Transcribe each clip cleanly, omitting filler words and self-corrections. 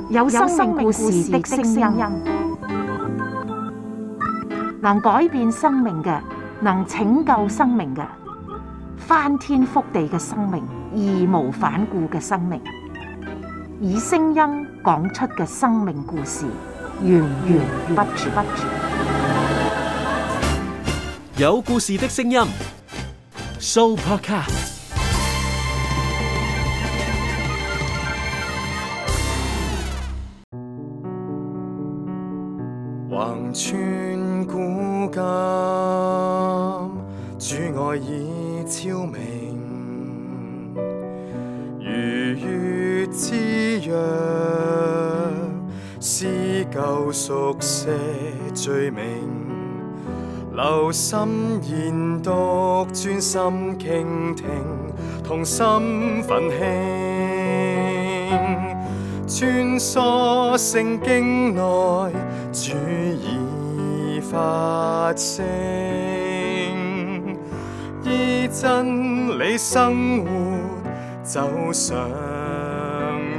有生命故事的聲音，能改變生命嘅，能拯救生命嘅，翻天覆地嘅生命，義無反顧嘅生命，以聲音講出嘅生命故事，源源不絕。有故事的聲音 ，Sooopodcast。橫穿古今，主愛已超明，如月之約，撕舊熟寫罪名，留心研讀，專心傾聽，同心奮興，穿梭聖經內，主已發聲，依真理生活，走上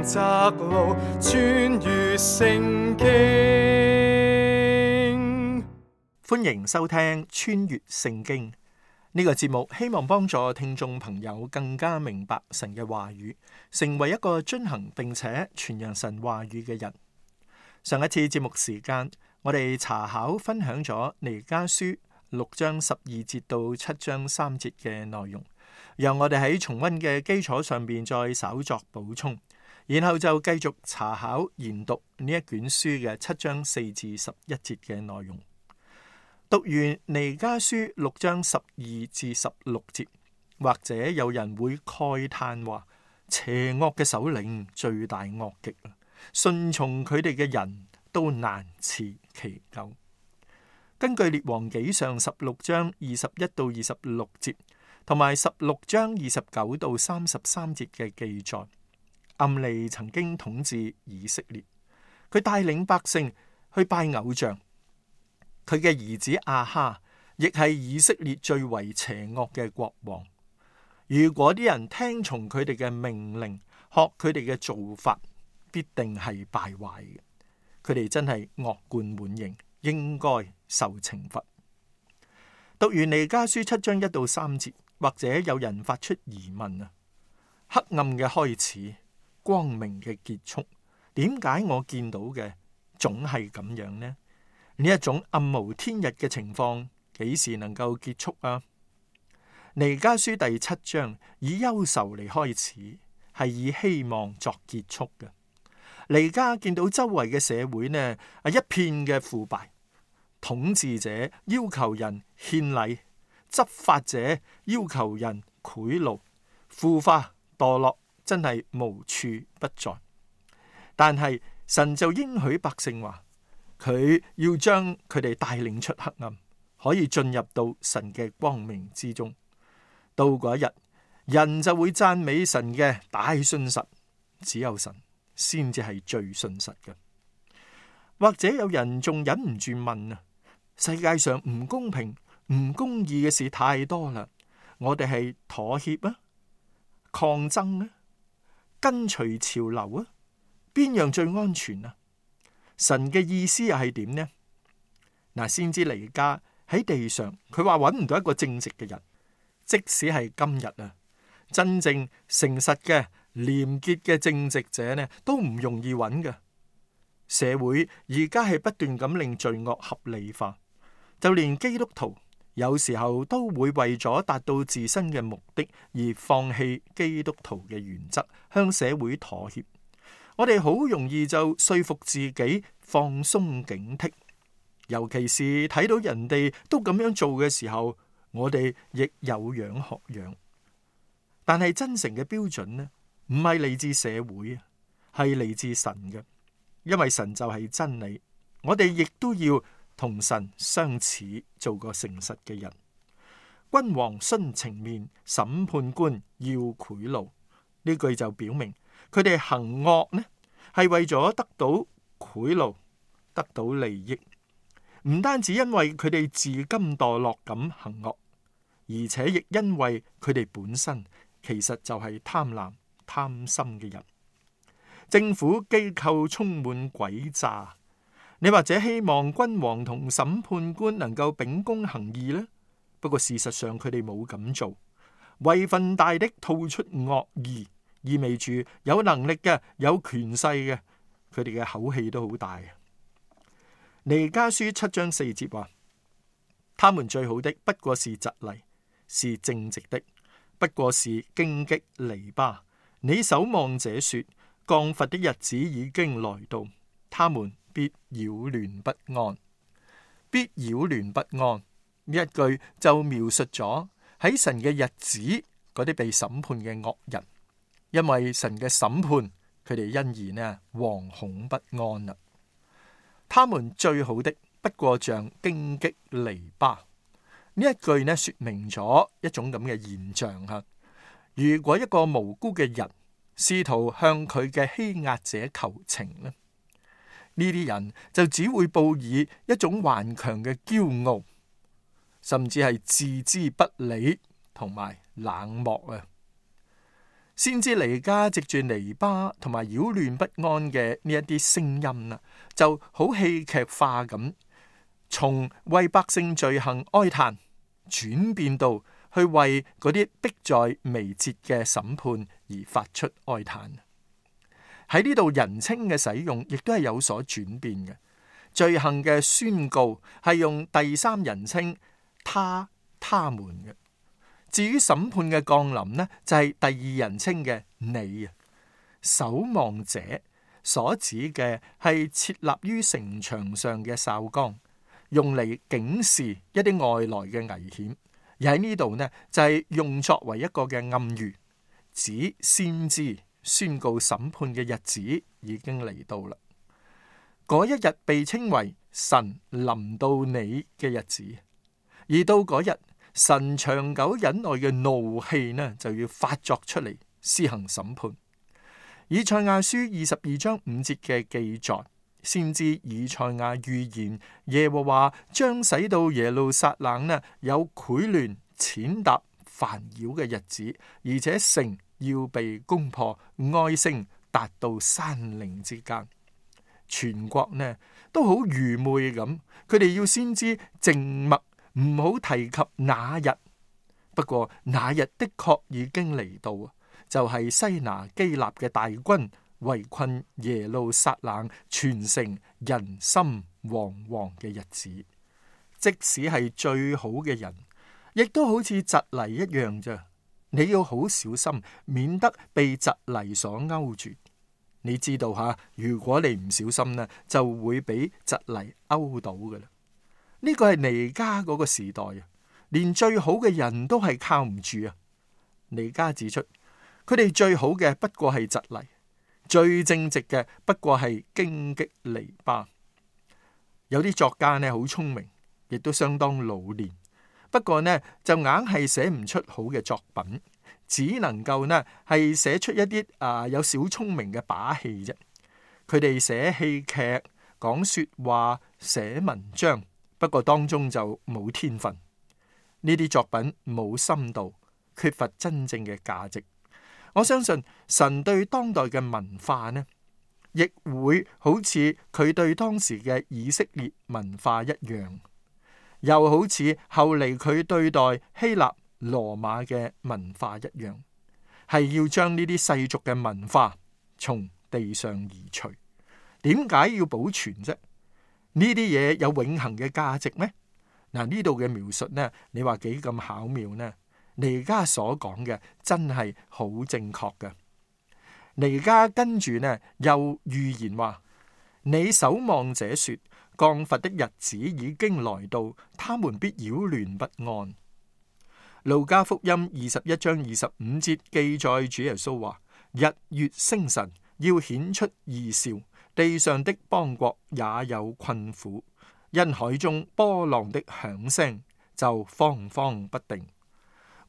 窄路，穿越聖經。歡迎收聽《穿越聖經》呢個節目，希望幫助聽眾朋友更加明白神嘅話語，成為一個遵行並且傳揚神話語嘅人。上一次節目時間，我哋查考分享咗彌迦書6章12節到7章3節嘅內容，讓我哋喺重溫嘅基礎上面再稍作補充，然後就繼續查考研讀呢一卷書嘅7章4至11節嘅內容。讀完彌迦書6章12至16節，或者有人會慨嘆話，邪惡嘅首領罪大惡極，順從佢哋嘅人都難辭其咎。根據列王紀上16章21到26節，同埋16章29到33節嘅記載，暗利曾經統治以色列，佢帶領百姓去拜偶像。佢嘅兒子亞哈亦係以色列最為邪惡嘅國王。如果啲人聽從佢哋嘅命令，學佢哋嘅做法，必定係敗壞嘅。佢哋真係惡貫滿盈，應該受懲罰。讀完彌迦書7章1到3節，或者有人發出疑問啊：黑暗嘅開始，光明嘅結束，點解我見到嘅總係咁樣呢？呢一種暗無天日嘅情況，幾時能夠結束啊？彌迦書第7章以憂愁嚟開始，係以希望作結束嘅。彌迦見到周圍嘅社會呢，一片嘅腐敗，統治者要求人獻禮，執法者要求人賄賂，腐化墮落真係無處不在。但係神就應許百姓話，佢要將佢哋帶領出黑暗，可以進入到神嘅光明之中。到嗰一日，人就會讚美神嘅大信實，只有神先至係最信實嘅。或者有人仲忍唔住問啊：世界上唔公平、唔公義嘅事太多啦，我哋係妥協啊、抗爭啊、跟隨潮流啊，邊樣最安全啊？神嘅意思又係點呢？嗱，先知彌迦喺地上，佢話揾唔到一個正直嘅人，即使係今日啊，真正誠實嘅、廉潔嘅正直者呢，都唔容易揾嘅。社會而家係不斷咁令罪惡合理化，就連基督徒有時候都會為咗達到自身嘅目的而放棄基督徒嘅原則，向社會妥協。我哋好容易就說服自己放鬆警惕，尤其是睇到人哋都咁樣做嘅時候，我哋亦有樣學樣。但係真誠嘅標準呢，唔係嚟自社會，係嚟自神嘅，因為神就係真理。我哋亦都要同神相似，做個誠實嘅人。君王徇情面，審判官要賄賂，呢句就表明佢哋行惡呢，係為咗得到賄賂，得到利益。唔單止因為佢哋自甘墮落咁行惡，而且亦因為佢哋本身其實就係貪婪貪心嘅人。政府機構充滿詭詐。你或者希望君王同審判官能夠秉公行義呢？不過事實上佢哋冇咁做。位分大的吐出惡意，意味住有能力嘅、有權勢嘅，佢哋嘅口氣都好大。彌迦書7章4節話：他們最好的不過是蒺藜，是正直的，不過是荊棘籬笆。你守望者說，降罰的日子已經來到，他們必擾亂不安。必擾亂不安呢一句就描述咗喺神嘅日子嗰啲被審判嘅惡人，因為神嘅審判，佢哋因而呢惶恐不安啦。他們最好的不過像荊棘籬笆，呢一句呢說明咗一種咁嘅現象吓。如果一個無辜嘅人試圖向佢嘅欺壓者求情呢，呢啲人就只會報以一種頑強嘅驕傲，甚至係置之不理同埋冷漠啊。先知彌迦藉住籬笆同埋擾亂不安嘅呢一啲聲音啦，就好戲劇化咁，從為百姓罪行哀嘆，轉變到去為嗰啲迫在眉睫嘅審判而發出哀嘆。喺呢度人稱嘅使用亦都係有所轉變嘅。罪行嘅宣告係用第三人稱他們嘅。至於審判嘅降臨呢，就係第二人稱嘅你啊。守望者所指嘅係設立於城牆上嘅哨崗，用嚟警示一啲外來嘅危險。而喺呢度呢，就係用作為一個嘅暗喻，指先知宣告審判嘅日子已經嚟到啦。嗰一日被稱為神臨到你嘅日子，而到嗰日，神長久忍耐嘅怒氣呢，就要發作出嚟施行審判。以賽亞書22章5節嘅記載，先知以賽亞預言耶和華將使到耶路撒冷呢有潰亂、踐踏、煩擾嘅日子，而且城要被攻破，哀聲達到山嶺之間。全國呢都好愚昧咁，佢哋要先知靜默，唔好提及那日。不過那日的確已經嚟到啊，就係西拿基立嘅大軍圍困耶路撒冷，全城人心惶惶嘅日子。即使係最好嘅人，亦都好似蒺藜一樣咋。你要好小心，免得被蒺藜所勾住。你知道吓，如果你唔小心呢，就會俾蒺藜勾到噶啦。呢個係彌迦嗰個時代啊，連最好嘅人都係靠唔住啊。彌迦指出，佢哋最好嘅不過係蒺藜，最正直嘅不過係荊棘籬笆。有啲作家呢好聰明，亦都相當老練，不過呢就硬係寫唔出好嘅作品，只能夠呢係寫出一啲有小聰明嘅把戲啫。佢哋寫戲劇、講說話、寫文章，不過當中就冇天分。呢啲作品冇深度，缺乏真正嘅價值。我相信神對當代嘅文化呢，亦會好似佢對當時嘅以色列文化一樣，又好似後嚟佢對待希臘、羅馬嘅文化一樣，係要將呢啲世俗嘅文化從地上移除。點解要保存啫？呢啲嘢有永恆嘅價值咩？嗱，呢度嘅描述呢，你話幾咁巧妙呢？彌迦所講嘅真係好正確嘅。彌迦跟住呢又預言話：你守望者說，降罰的日子已經來到，他們必擾亂不安。路加福音21章25節記載，主耶穌話：日月星辰要顯出異兆，地上的邦國也有困苦，因海中波浪的響聲就慌慌不定。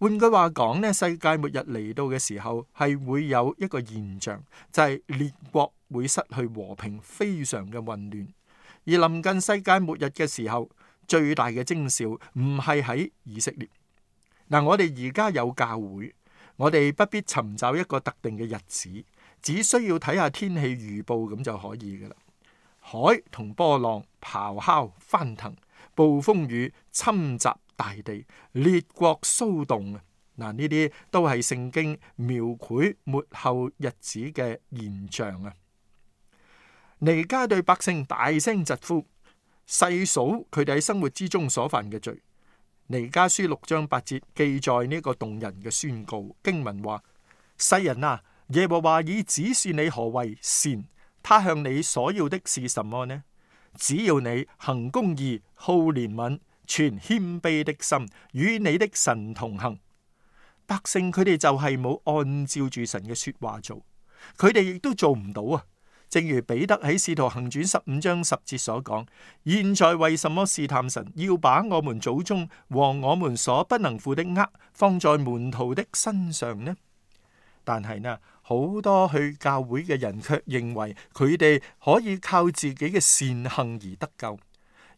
換句話講呢，世界末日嚟到嘅時候，係會有一個現象，就係列國會失去和平，非常嘅混亂。而臨近世界末日嘅時候，最大嘅徵兆唔係喺以色列。嗱，我哋而家有教會，我哋不必尋找一個特定嘅日子，只需要睇下天氣預報咁就可以噶啦。海同波浪咆哮翻騰，暴風雨侵襲大地，列國騷動啊！嗱，呢啲都係聖經描繪末後日子嘅現象啊！彌迦對百姓大聲疾呼，細數佢哋喺生活之中所犯嘅罪。彌迦書6章8節記載呢個動人嘅宣告，經文話：世人啊，耶和華已指示你何為善，他向你所要的是什麼呢？只要你行公義、好憐憫、存謙卑的心，與你的神同行。百姓佢哋就係冇按照住神嘅說話做，佢哋亦都做唔到啊！正如彼得喺使徒行傳15章10節所講：現在為什麼試探神，要把我們祖宗和我們所不能負的軛放在門徒的身上呢？但係呢，好多去教會嘅人卻認為佢哋可以靠自己嘅善行而得救，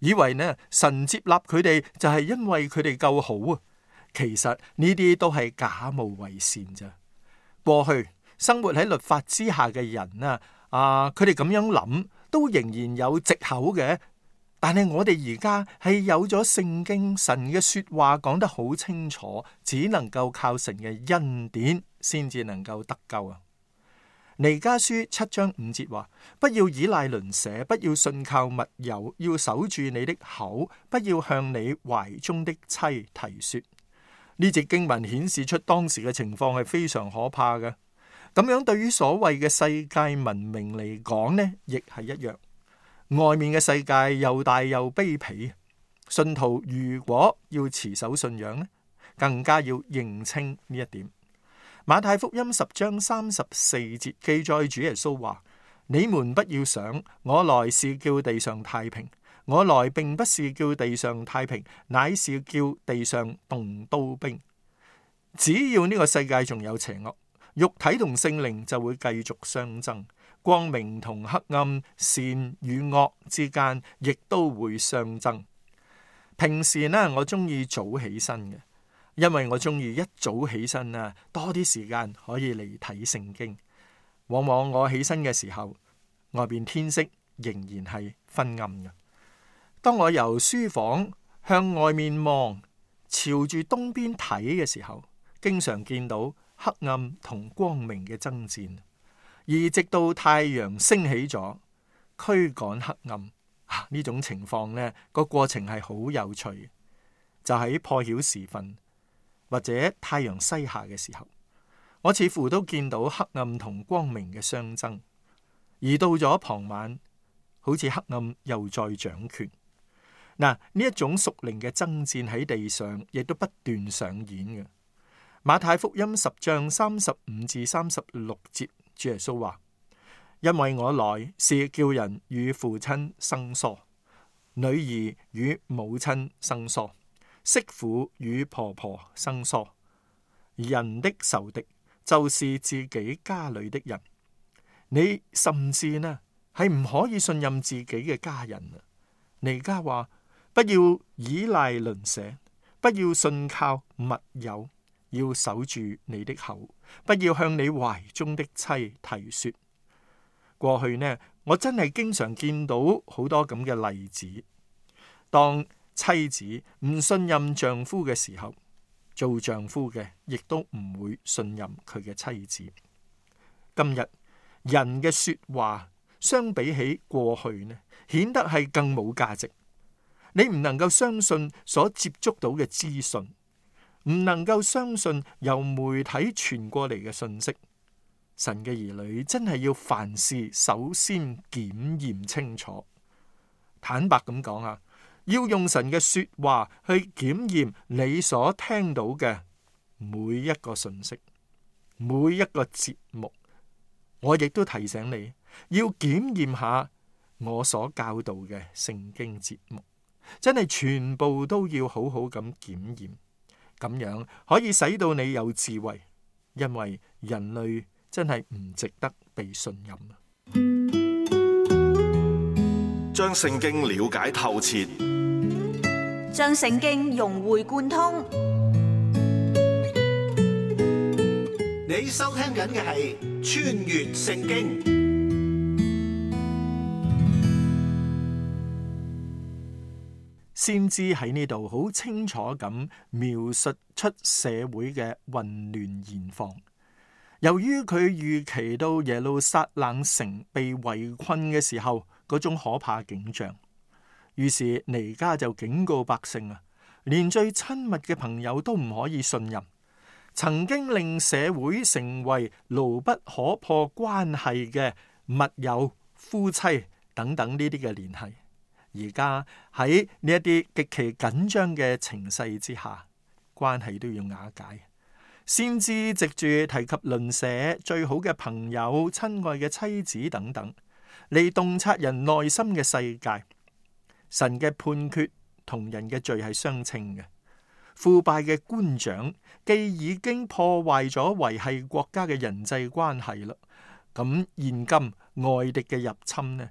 以為呢神接納佢哋就係因為佢哋夠好啊！其實呢啲都係假冒為善咋。過去生活喺律法之下嘅人佢哋咁樣諗都仍然有藉口嘅。但係我哋而家係有咗聖經，神嘅說話講得好清楚，只能夠靠神嘅恩典先至能夠得救啊！彌迦書7章5節話：不要依賴鄰舍，不要信靠密友，要守住你的口，不要向你懷中的妻提說。呢節經文顯示出當時嘅情況係非常可怕嘅。咁樣對於所謂嘅世界文明嚟講呢，亦係一樣。外面嘅世界又大又卑鄙，信徒如果要持守信仰呢，更加要認清呢一點。馬太福音10章34節記載主耶穌話：你們不要想我來是叫地上太平，我來並不是叫地上太平，乃是叫地上動刀兵。只要呢個世界仲有邪惡，肉體同聖靈就會繼續相爭，光明同黑暗、善與惡之間亦都會相爭。平時呢，我中意早起身嘅，因為我中意一早起身多啲時間可以嚟睇聖經。往往我起身嘅時候，外邊天色仍然係昏暗嘅。當我由書房向外面望，朝住東邊睇嘅時候，經常見到黑暗同光明嘅爭戰，而直到太陽升起咗，驅趕黑暗呢種情況呢，個過程係好有趣。就喺破曉時分或者太陽西下嘅時候，我似乎都見到黑暗同光明嘅相爭。而到咗傍晚，好似黑暗又再掌權。呢一種屬靈嘅爭戰喺地上亦都不斷上演嘅。馬太福音10章35至36節，主耶穌話：因為我來是叫人與父親生疏，女兒與母親生疏，媳婦與婆婆生疏。人的仇敵就是自己家裏的人。你甚至呢係唔可以信任自己嘅家人啊！彌迦話：不要依賴鄰舍，不要信靠密友。要守住你的口，不要向你懷中的妻提說。過去呢，我真係經常見到好多咁嘅例子。當妻子唔信任丈夫嘅時候，做丈夫嘅亦都唔會信任佢嘅妻子。今日人嘅說話相比起過去呢，顯得係更冇價值。你唔能夠相信所接觸到嘅資訊，唔能夠相信由媒體傳過嚟嘅信息。神嘅兒女真係要凡事首先檢驗清楚。坦白咁講要用神嘅說話去檢驗你所聽到嘅每一個信息，每一個節目。我亦都提醒你要檢驗下我所教導嘅聖經節目，真係全部都要好好咁檢驗。咁樣可以使到你有智慧，因為人類真係唔值得被信任。將聖經了解透徹，將聖經融會貫通。你收聽緊嘅係穿越聖經。先知喺呢度好清楚咁描述出社會嘅混亂現況。由於佢預期到耶路撒冷城被圍困嘅時候嗰種可怕景象，於是彌迦就警告百姓啊，連最親密嘅朋友都唔可以信任。曾經令社會成為牢不可破關係嘅密友、夫妻等等呢啲嘅聯繫，而家喺呢一啲極其緊張嘅情勢之下，關係都要瓦解。先知藉住提及鄰舍、最好嘅朋友、親愛嘅妻子等等，嚟洞察人內心嘅世界。神嘅判決同人嘅罪係相稱嘅。腐敗嘅官長既已經破壞咗維繫國家嘅人際關係啦，咁現今外敵嘅入侵呢，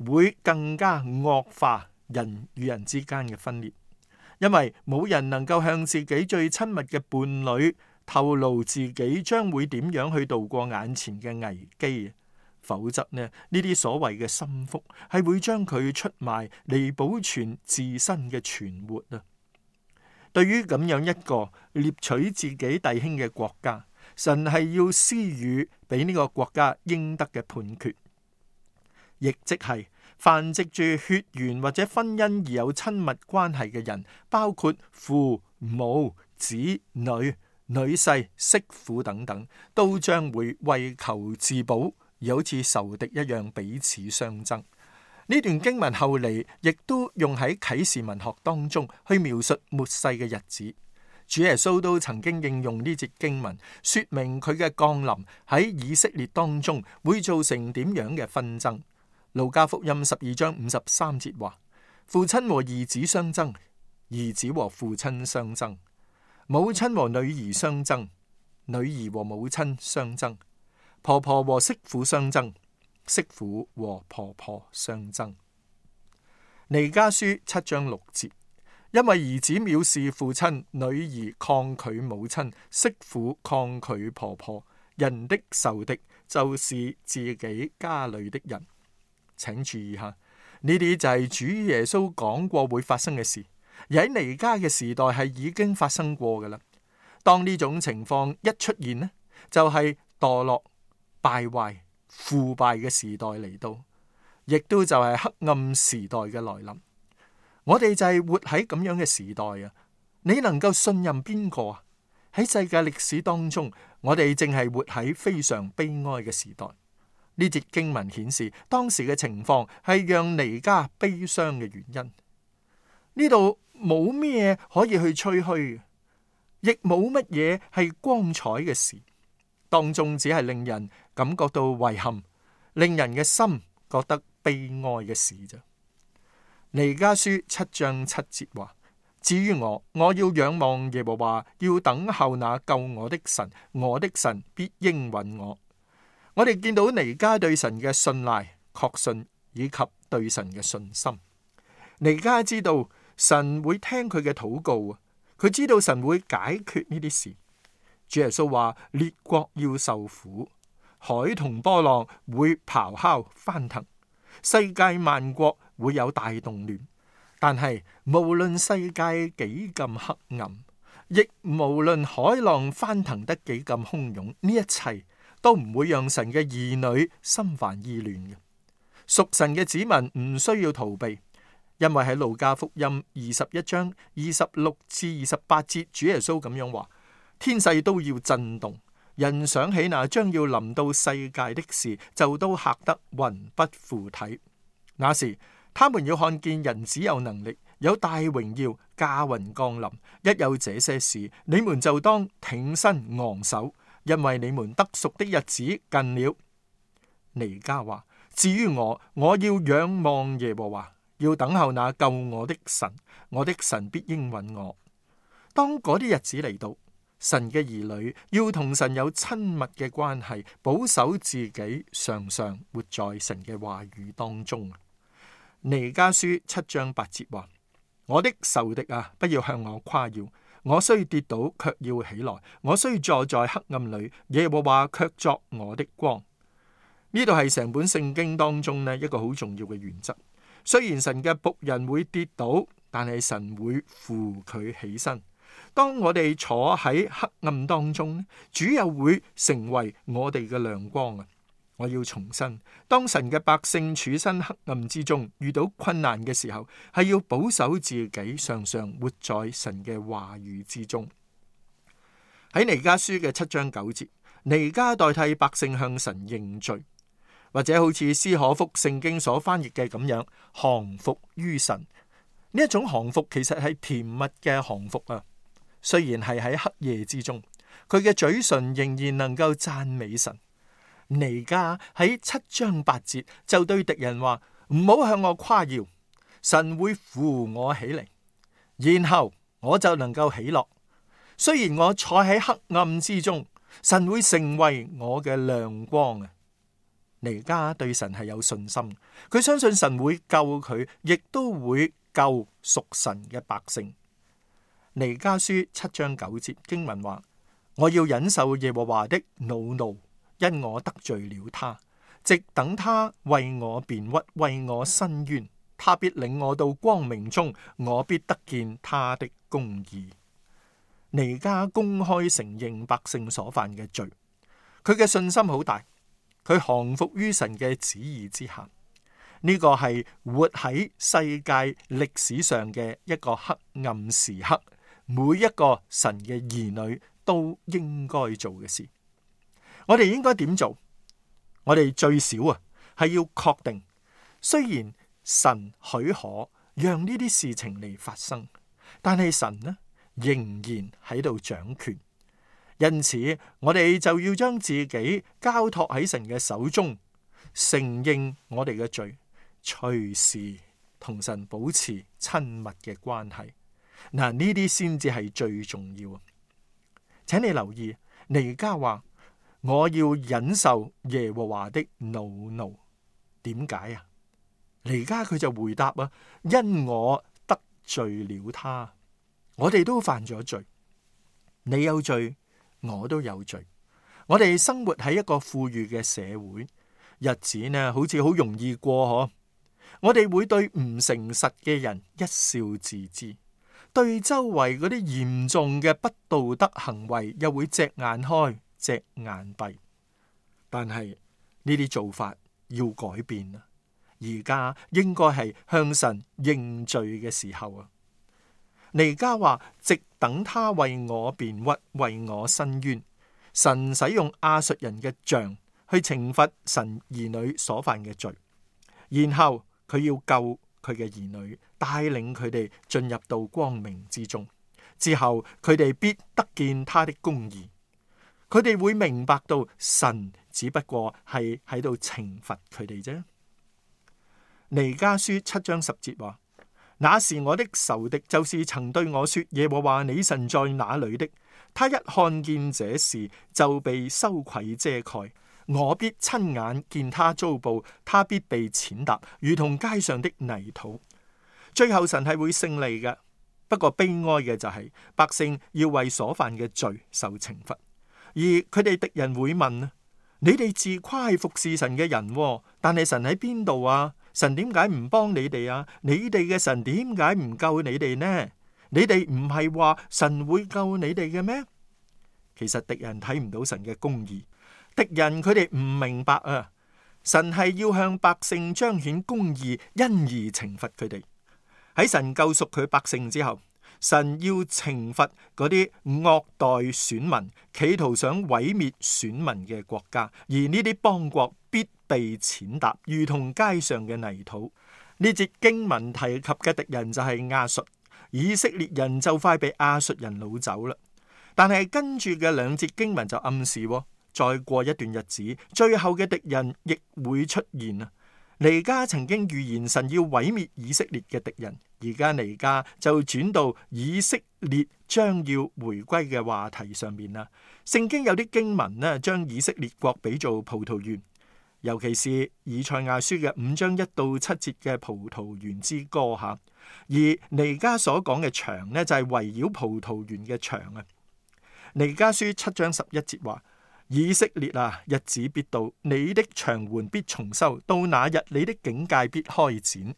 會更加惡化人與人之間嘅分裂，因為冇人能夠向自己最親密嘅伴侶透露自己將會點樣去度過眼前嘅危機，否則呢啲所謂嘅心腹係會將佢出賣嚟保存自身嘅存活啊！對於咁樣一個獵取自己弟兄嘅國家，神係要施予俾呢個國家應得嘅判決，亦即係凡藉住血緣或者婚姻而有親密關係嘅人，包括父母、子女、女婿、媳婦等等，都將會為求自保，而好似仇敵一樣彼此相爭。呢段經文後嚟亦都用喺啟示文學當中去描述末世嘅日子。主耶穌都曾經應用呢節經文，說明佢嘅降臨喺以色列當中會造成點樣嘅紛爭。路加福音12章53節話：父親和兒子相爭，兒子和父親相爭，母親和女兒相爭，女兒和母親相爭，婆婆和媳婦相爭，媳婦和婆婆相爭。彌迦書7章6節，因為兒子藐視父親，女兒抗拒母親，媳婦抗拒婆婆，人的仇敵就是自己家裏的人。請注意下，呢啲就係主耶穌講過會發生嘅事，而喺彌迦嘅時代係已經發生過噶啦。當呢種情況一出現呢，就係墮落、敗壞、腐敗嘅時代嚟到，亦都就係黑暗時代嘅來臨。我哋就係活喺咁樣嘅時代啊！你能夠信任邊個啊？喺世界歷史當中，我哋正係活喺非常悲哀嘅時代。呢節經文顯示當時嘅情況係讓彌迦悲傷嘅原因。呢度冇咩可以去吹噓，亦冇乜嘢係光彩嘅事，當中只係令人感覺到遺憾，令人嘅心覺得悲哀嘅事啫。彌迦書7章7節話：至於我要仰望耶和華，要等候那救我的神，我的神必應允我。我哋見到彌迦對神嘅信賴、確信以及對神嘅信心。彌迦知道神會聽佢嘅禱告，佢知道神會解決呢啲事。主耶穌話：列國要受苦，海同波浪會咆哮翻騰，世界萬國會有大動亂。但係無論世界幾咁黑暗，亦無論海浪翻騰得幾咁洶湧，呢一切都唔會讓神嘅兒女心煩意亂嘅。屬神嘅子民唔需要逃避，因為喺路加福音21章26至28節，主耶穌咁樣話：天勢都要震動，人想起那將要臨到世界的事，就都嚇得魂不附體。那時他們要看見人子有能力，有大榮耀駕雲降臨。一有這些事，你們就當挺身昂首，因為你們得贖的日子近了。彌迦話：至於我要仰望耶和華，要等候那救我的神，我的神必應允我。當嗰啲日子嚟到，神嘅兒女要同神有親密嘅關係，保守自己，常常活在神嘅話語當中。彌迦書7章8節話：我的仇敵啊，不要向我誇耀，我雖跌倒，卻要起來；我雖坐在黑暗裏，耶和華卻作我的光。呢度係成本聖經當中呢一個好重要嘅原則。雖然神嘅僕人會跌倒，但係神會扶佢起身。當我哋坐喺黑暗當中，主又會成為我哋嘅亮光啊！我要重申，當神嘅百姓處身黑暗之中，遇到困難嘅時候，係要保守自己，常常活在神嘅話語之中。喺彌迦書嘅7章9節，彌迦代替百姓向神認罪，或者好似斯可福聖經所翻譯嘅咁樣，降服於神。呢一種降服其實係甜蜜嘅降服啊！雖然係喺黑夜之中，佢嘅嘴唇仍然能夠讚美神。彌迦喺7章8節就對敵人話：唔好向我誇耀，神會扶我起嚟，然後我就能夠喜樂。雖然我坐喺黑暗之中，神會成為我嘅亮光啊！彌迦對神係有信心，佢相信神會救佢，亦都會救屬神嘅百姓。彌迦書7章9節經文話：我要忍受耶和華的惱怒，因我得罪了他，直等他為我辯屈，為我伸冤。他必領我到光明中，我必得見他的公義。彌迦公開承認百姓所犯嘅罪，佢嘅信心好大，佢降服於神嘅旨意之下。呢個係活喺世界歷史上嘅一個黑暗時刻，每一個神嘅兒女都應該做嘅事。我哋應該點做？我哋最少係要確定，雖然神許可讓呢啲事情嚟發生，但係神呢仍然喺度掌權。因此，我哋就要將自己交託喺神嘅手中，承認我哋嘅罪，隨時同神保持親密嘅關係。嗱，呢啲先至係最重要。請你留意，彌迦話：我要忍受耶和華的惱怒。點解啊？彌迦佢就回答啊：因我得罪了他。我哋都犯咗罪，你有罪，我都有罪。我哋生活喺一個富裕嘅社會，日子呢好似好容易過嗬。我哋會對唔誠實嘅人一笑置之，對周圍嗰啲嚴重嘅不道德行為又會隻眼開隻眼閉。但係呢啲做法要改變啊！而家應該係向神認罪嘅時候啊！彌迦話：直等他為我辯屈，為我伸冤。神使用亞述人嘅杖去懲罰神兒女所犯嘅罪，然後佢要救佢嘅兒女，帶領佢哋進入到光明之中。之後佢哋必得見他的公義，佢哋會明白到神只不過係喺度懲罰佢哋啫。彌迦書7章10節話：那是我的仇敵，就是曾對我說耶和華你神在哪裏的。他一看見這事，就被羞愧遮蓋。我必親眼見他遭報，他必被踐踏，如同街上的泥土。最後神係會勝利嘅，不過悲哀嘅就係百姓要為所犯嘅罪受懲罰，而佢哋敵人會問：你哋自誇係服侍神嘅人，但係神喺邊度啊？神點解唔幫你哋啊？你哋嘅神點解唔救你哋呢？你哋唔係話神會救你哋嘅咩？其實敵人睇唔到神嘅公義，敵人佢哋唔明白啊！神係要向百姓彰顯公義，因而懲罰佢哋。喺神救贖佢百姓之後，神要懲罰嗰啲惡待選民、企圖想毀滅選民嘅國家，而呢啲邦國必被踐踏，如同街上嘅泥土。呢節經文提及嘅敵人就係亞述。以色列人就快被亞述人擄走啦，但係跟住嘅兩節經文就暗示，再過一段日子，最後嘅敵人亦會出現啊！彌迦曾經預言神要毀滅以色列嘅敵人，而家彌迦就轉到以色列將要回歸嘅話題上面啦。聖經有啲經文呢，將以色列國比做葡萄園，尤其是以賽亞書嘅5章1到7節嘅葡萄園之歌吓。而彌迦所講嘅牆呢，就係圍繞葡萄園嘅牆啊。彌迦書7章11節話：以色列啊，日子必到，你的牆垣必重修，到那日你的境界必開展。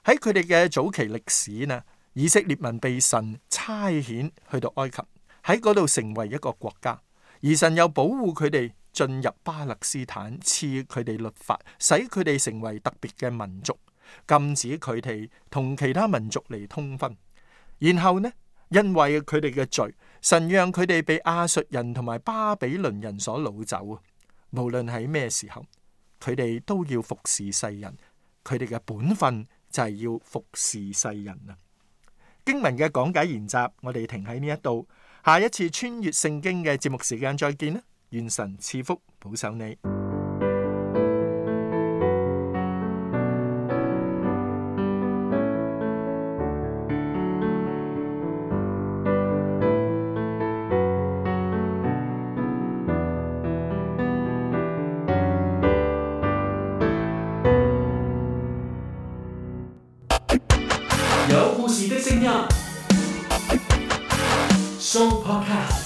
喺佢哋嘅早期歷史呢，以色列民被神差遣去到埃及，喺嗰度成為一個國家，而神又保護佢哋進入巴勒斯坦，賜佢哋律法，使佢哋成為特別嘅民族，禁止佢哋同其他民族嚟通婚。然後呢，因為佢哋嘅罪，神讓佢哋被亞述人同埋巴比倫人所擄走啊！無論喺咩時候，佢哋都要服侍世人，佢哋嘅本分就係要服侍世人啊！經文嘅講解研習，我哋停喺呢一度，下一次穿越聖經嘅節目時間再見啦！願神賜福保守你。有故事的聲音，Show Podcast。